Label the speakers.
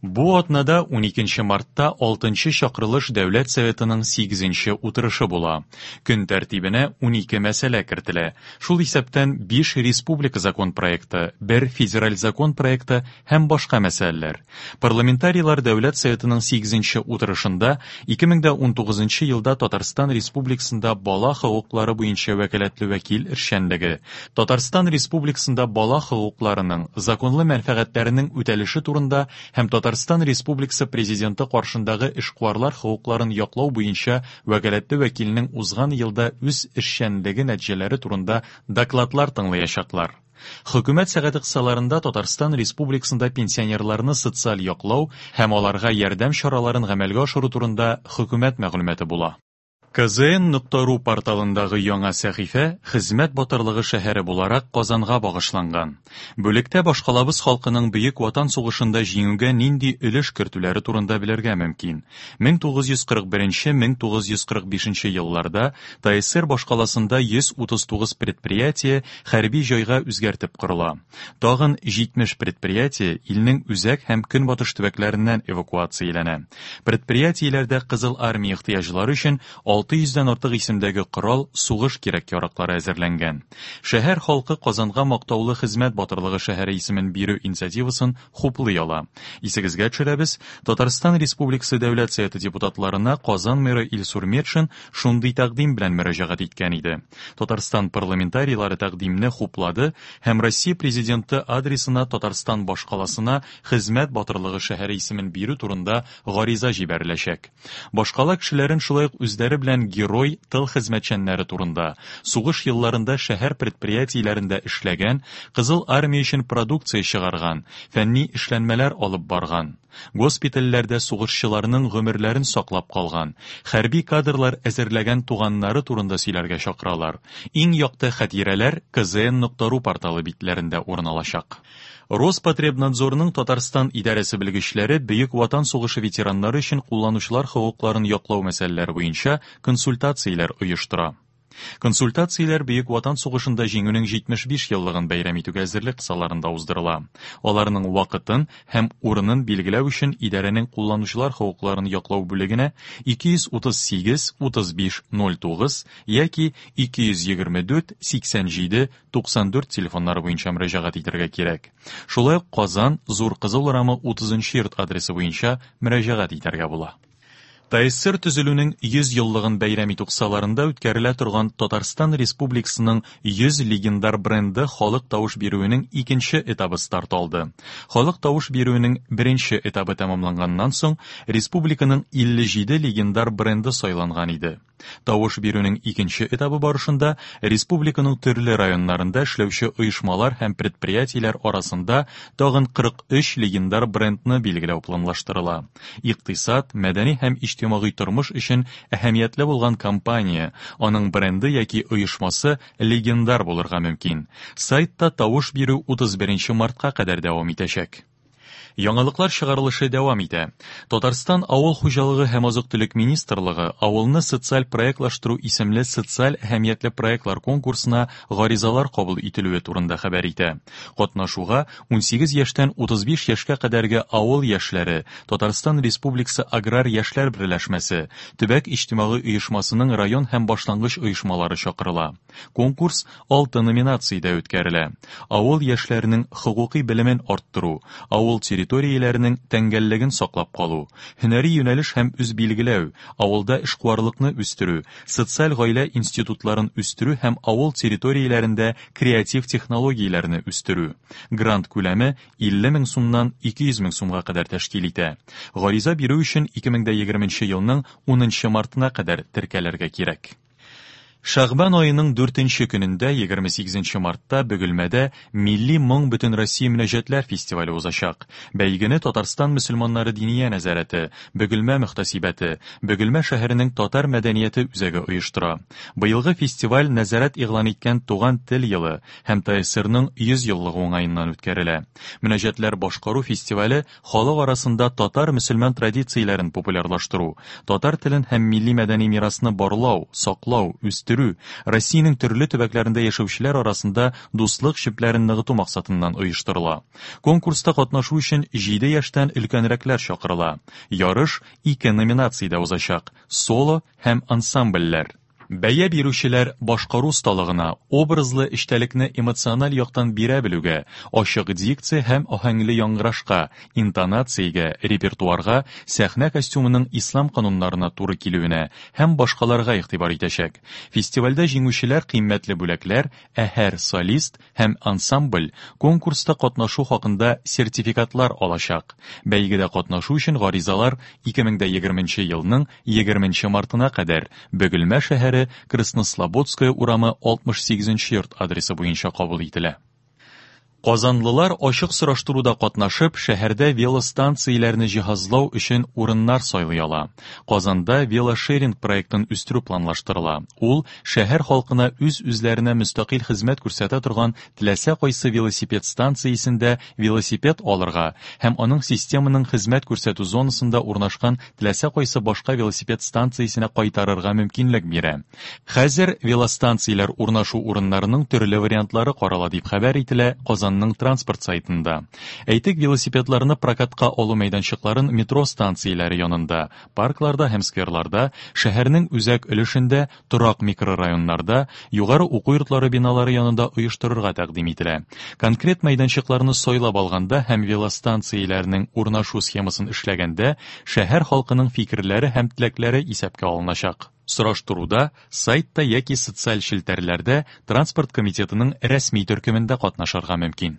Speaker 1: Бу атнада 12 мартта 6 чакырылыш Дәүләт Советының 8 утырышы була. Көн тәртибенә 12 мәсьәлә кертелә. Шул исәптән 5 республика закон проекты, 1 федераль закон проекты һәм башка мәсьәләләр. Парламентарийлар Дәүләт Советының 8 утырышында 2019 елда Татарстан Республикасында бала хокуклары буенча вәкаләтле вәкил эшчәнлеге, Татарстан Республикасында бала хокукларының, законлы мәнфәгатьләренең үтәлеше турында һәм Татарстан Республикасы Президенты каршындагы эшкуарлар хокукларын яклау буенча вәкаләтле вәкилнең узган елда үз эшчәнлеге нәтиҗәләре турында докладлар тыңлаячаклар. Хөкүмәт сәгате кысаларында Татарстан Республикасында пенсионерларны социаль яклау һәм аларга ярдәм чараларын гамәлгә ашыру турында хөкүмәт мәгълүматы була. KZN.ru порталындагы яңа сәхифә Хезмәт батырлыгы шәһәре буларак Казанга багышланган. Бүлектә башкалабыз халкының Бөек Ватан сугышында җиңүгә нинди өлеш кертүләре турында белергә мөмкин. 1941-1945 елларда ТАССР башкаласында 139 предприятие хәрби җайга үзгәртеп корыла. Тагын 70 предприятие илнең үзәк һәм көнбатыш төбәкләреннән эвакуацияләнә. Предприятиеләрдә Кызыл армия ихтыяҗлары өчен 600 дән артык исемдәге корал, сугыш кирәк-яраклары әзерләнгән. Шәһәр халкы Казанга мактаулы хезмәт батырлыгы шәһәре исемен бирү инициативасын хуплый ала. Исегезгә төшерәбез, Татарстан Республикасы Дәүләт Советы депутатларына Казан мэры Илсур Метшин шундый тәкъдим белән мөрәҗәгать иткән иде. Татарстан парламентарийлары тәкъдимне хуплады һәм Россия Президенты адресына Татарстан башкаласына Хезмәт батырлыгы шәһәре исемен бирү турында гариза җибәреләчәк. Башкала кешеләрен шулай ук үзләре белән герой тыл хезмәтчәннәре турында, сугыш елларында шәһәр предприятиеләрендә эшләгән, Кызыл Армия өчен продукция чыгарган, фәнни эшләнмәләр алып барган, госпитальләрдә сугышчыларның гомерләрен саклап калган, хәрби кадрлар әзерләгән туганнары турында сөйләргә чакыралар. Иң якты хатирәләр kzn.ru порталы битләрендә урын алачак. Роспотребнадзорның Татарстан идарәсе белгечләре Бөек Ватан сугышы ветераннары өчен кулланучылар хокукларын яклау мәсьәләләре буенча консультацияләр оештыра. Консультацияләр Бөек Ватан сугышында җиңүнең 75 еллыгын бәйрәм итүгә әзерлек кысаларында уздырыла. Аларның вакытын һәм урынын билгеләү өчен идарәнең кулланучылар хокукларын яклау бүлегенә 238 35 09 яки 224 87 94 телефоннары буенча мөрәҗәгать итәргә кирәк. Шулай ук Казан, Зур Кызыл урамы 30 нчы йорт адресы буенча мөрәҗәгать итәргә була. ТАССР төзелүнең 100 еллыгын бәйрәм итү кысаларында үткәрелә торган Татарстан Республикасының 100 легендар бренды халык тавыш бирүенең икенче этабы старт алды. Халык тавыш бирүенең беренче этабы тәмамланганнан соң, республиканың 57 легендар бренды сайланган иде. Тавыш бирүнең икенче этабы барышында республиканың төрле районнарында эшләүче оешмалар һәм предприятиеләр арасында тагын 43 легендар брендны билгеләү планлаштырыла. Икътисад, мәдәни һәм иҗтимагый тормыш өчен әһәмиятле булган компания, аның бренды яки оешмасы легендар булырга мөмкин. Сайтта тавыш бирү 31 мартка кадәр дәвам итәчәк. Яңалыклар чыгарылышы дәвам итә. Татарстан Авыл хуҗалыгы һәм азык-төлек министрлыгы Авылны социаль проектлаштыру исемле социаль әһәмиятле проектлар конкурсына гаризалар кабул ителүе турында хәбәр итә. Катнашуга 18 яшьтән 35 яшькә кадәрге авыл яшьләре, Татарстан Республикасы Аграр яшьләр берләшмәсе, төбәк иҗтимагый оешмасының район һәм башлангыч оешмалары чакырыла. Конкурс алты номинациядә үткәрелә. Авыл яшьләренең хокукый белемен арттыру, авыл территорияләренең тәңгәллеген саклап калу, һөнәри юнәлеш һәм үзбилгеләү, авылда эшкуарлыкны үстерү, социаль гаилә институтларын үстерү һәм авыл территорияләрендә креатив технологияләрне үстерү. Грант күләме 50 мең сумнан 200 мең сумга кадәр тәшкил итә. Гариза бирү өчен 2020 елның 10 мартына кадәр теркәлергә кирәк. Шәгъбан аеның дүртенче көнендә, 28 мартта Бөгелмәдә Милли моң Бөтенроссия мөнәҗәтләр фестивале узачак. Бәйгене Татарстан мөселманнары Диния нәзарәте, Бөгелмә мөхтәсибәте, Бөгелмә шәһәренең татар мәдәнияте үзәге оештыра. Быелгы фестиваль нәзарәт игълан иткән Туган тел елы һәм ТАССРның 100 еллыгы уңаеннан үткәрелә. Мөнәҗәтләр башкару фестивале халык арасында татар-мөселман традицияләрен популярлаштыру, татар телен һәм милли мәдәни мирасны барлау, саклау, үстерү үстерү, Россиянең төрле төбәкләрендә яшәүчеләр арасында дуслык җепләрен ныгыту максатыннан оештырыла. Конкурста катнашу өчен 7 яшьтән өлкәнрәкләр чакырыла. Ярыш ике номинациядә узачак: соло һәм ансамбльләр. Бәя бирүчеләр башкару осталыгына, образлы эчтәлекне эмоциональ яктан бирә белүгә, ачык дикция һәм аһәңле яңгырашка, интонациягә, репертуарга, сәхнә костюмының ислам кануннарына туры килүенә һәм башкаларга игътибар итәчәк. Фестивальдә җиңүчеләр кыйммәтле бүләкләр, ә һәр солист һәм ансамбль конкурста катнашу хакында сертификатлар алачак. Бәйгедә катнашу өчен гаризалар 2020 елның 20 мартына кадәр Бөгелмә шәһәре Краснослободская урамы 68 йорт адресы буенча кабул ителә. Казанлылар ачык сораштыруда катнашып, шәһәрдә велостанцияләрне җиһазлау өчен урыннар сайлый ала. Казанда велошеринг проектын үстерү планлаштырыла. Ул шәһәр халкына үз-үзләренә мөстәкыйль хезмәт күрсәтә торган теләсә кайсы велосипед станциясендә велосипед алырга һәм аның системаның хезмәт күрсәтү зонасында урнашкан теләсә кайсы башка велосипед станциясенә кайтарырга мөмкинлек бирә. Хәзер велостанцияләр урнашу урыннарының төрле вариантлары карала, дип хәбәр ителә Казанның транспорт сайтында. Әйтик, велосипедларны прокатка алу мәйданчыкларын метро станцияләре янында, паркларда һәм скверларда, шәһәрнең үзәк өлешендә, торак микрорайоннарда, югары уку йортлары биналары янында оештырырга тәкъдим ителә. Конкрет мәйданчыкларны сайлап алганда һәм велостанцияләрнең урнашу схемасын эшләгәндә, шәһәр халкының фикерләре һәм теләкләре исәпкә алыначак. Сораштыруда сайтта яки социаль челтәрләрдә Транспорт комитетының рәсми төркемендә катнашырга мөмкин.